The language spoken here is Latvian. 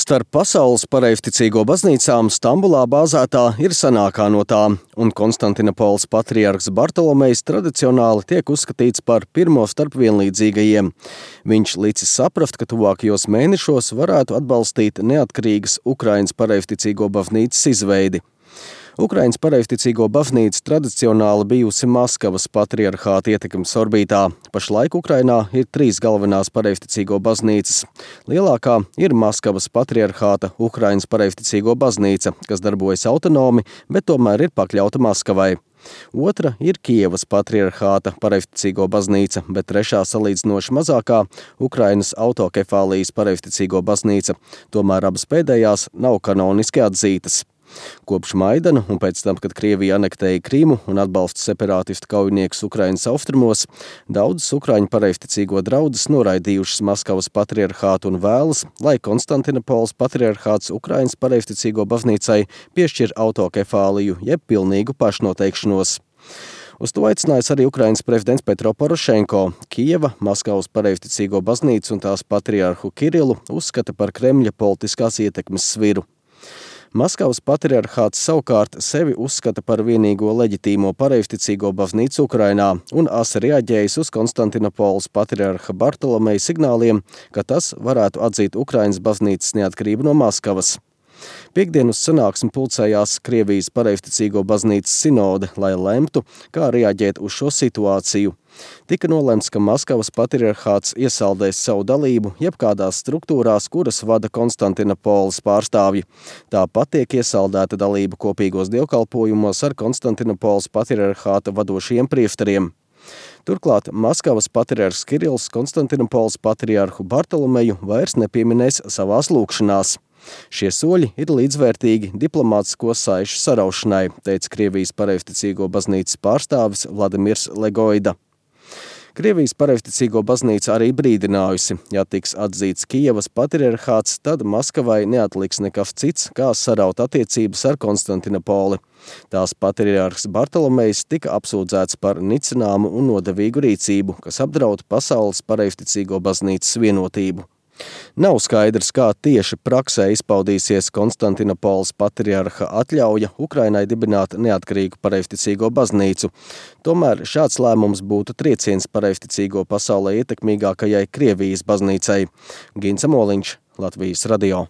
Starp pasaules pareizticīgo baznīcām Stambulā bāzētā ir senākā no tām, un Konstantinopoles patriarhs Bartolomejs tradicionāli tiek uzskatīts par pirmo starp vienlīdzīgajiem. Viņš licis saprast, ka tuvākajos mēnešos varētu atbalstīt neatkarīgas Ukrainas pareizticīgo baznīcas izveidi. Ukrainas pareizticīgo baznīca tradicionāli bijusi Maskavas patriarhāta ietekmes orbītā. Pašlaik Ukrainā ir 3 galvenās pareizticīgo baznīcas. Lielākā ir Maskavas patriarhāta Ukrainas pareizticīgo baznīca, kas darbojas autonomi, bet tomēr ir pakļauta Maskavai. Otra ir Kievas patriarhāta pareizticīgo baznīca, bet trešā salīdzinoši mazākā Ukrainas autokefālijas pareizticīgo baznīca. Tomēr abas pēdējās nav kanoniski atzītas. Kopš Maidana un pēc tam, kad Krievija anektēja Krimu un atbalsta separātistu kaujiniekus Ukrainas austrumos, daudzas ukraiņu pareizticīgo draudzes noraidījušas Maskavas patriarhātu un vēlas, lai Konstantinopoles patriarhāts Ukrainas pareizticīgo baznīcai piešķir autokefāliju jeb pilnīgu pašnoteikšanos. Uz to aicinājis arī Ukrainas prezidents Petro Porošenko. Kijeva, Maskavas pareizticīgo baznīcu un tās patriarhu Kirilu uzskata par Kremļa politiskās ietekmes sviru. Maskavas patriarhāts savukārt sevi uzskata par vienīgo leģitīmo pareizticīgo baznīcu Ukrainā un asi reaģējis uz Konstantinopoles patriarha Bartolomeja signāliem, ka tas varētu atzīt Ukrainas baznīcas neatkarību no Maskavas. Piektdien uz sanāksmi pulcējās Krievijas pareizticīgo baznīcas sinode, lai lemtu, kā reaģēt uz šo situāciju. Tika nolemts, ka Maskavas patriarhāts iesaldēs savu dalību jebkādās struktūrās, kuras vada Konstantinopoles pārstāvji. Tāpat tiek iesaldēta dalība kopīgos dievkalpojumos ar Konstantinopoles patriarhāta vadošajiem prieftariem. Turklāt Maskavas patriarhs Kirills Konstantinopoles patriarhu Bartolomeju vairs nepieminēs savās lūgšanās. Šie soļi ir līdzvērtīgi diplomātisko saišu saraušanai, teica Krievijas pareizticīgo baznīcas pārstāvis Vladimirs Legoida. Krievijas pareizticīgo baznīca arī brīdinājusi, ja tiks atzīts Kijevas patriarhāts, tad Maskavai neatliks nekas cits, kā saraut attiecības ar Konstantinopoli. Tās patriarhs Bartolomejs tika apsūdzēts par nicināmu un nodevīgu rīcību, kas apdraud pasaules pareizticīgo baznīcas vienotību. Nav skaidrs, kā tieši praksē izpaudīsies Konstantinopoles patriarha atļauja Ukrainai dibināt neatkarīgu pareizticīgo baznīcu. Tomēr šāds lēmums būtu trieciens pareizticīgo pasaulē ietekmīgākajai Krievijas baznīcai. Gins Amoliņš, Latvijas radio.